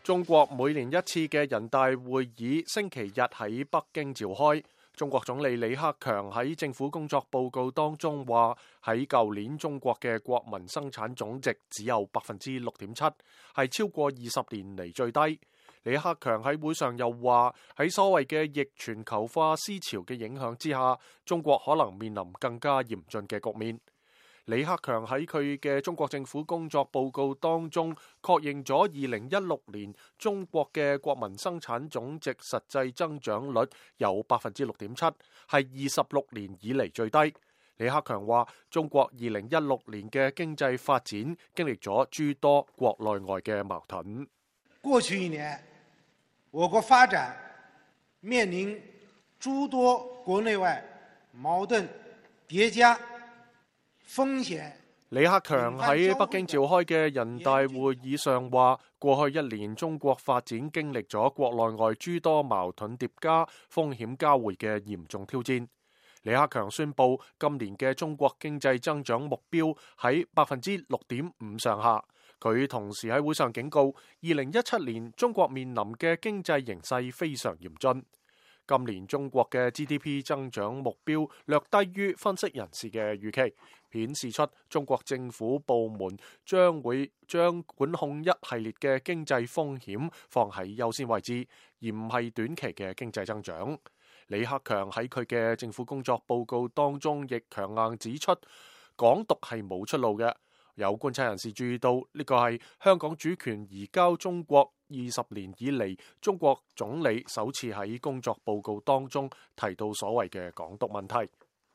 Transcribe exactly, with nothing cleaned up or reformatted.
中國每年一次嘅人大會議星期日喺北京召開。中國總理李克強喺政府工作報告當中話，喺舊年中國嘅國民生產總值只有百分之六點七，係超過二十年嚟最低。李克強喺會上又話，喺所謂嘅逆全球化思潮嘅影響之下，中國可能面臨更加嚴峻嘅局面。李克強喺佢嘅中國政府工作報告當中確認咗二零一六年中國嘅國民生產總值實際增長率有百分之六點七，係二十六年以嚟最低。李克強話，中國二零一六年嘅經濟發展經歷咗諸多國內外嘅矛盾。過去一年，我國發展面臨諸多國內外矛盾疊加。風險。李克強喺北京召開嘅人大會議上話，過去一年中國發展經歷咗國內外諸多矛盾疊加、風險交匯嘅嚴重挑戰。李克強宣布，今年嘅中國經濟增長目標喺百分之六點五上下。佢同時喺會上警告，二零一七年中國面臨嘅經濟形勢非常嚴峻。今年中國嘅 G D P 增長目標略低於分析人士嘅預期，顯示出中國政府部門將會將管控一系列嘅經濟風險放喺優先位置，而唔係短期嘅經濟增長。李克強喺佢嘅政府工作報告當中亦強硬指出，港獨係冇出路嘅。有觀察人士注意到，呢個係香港主權移交中國二十年以嚟，中國總理首次喺工作報告當中提到所謂嘅港獨問題。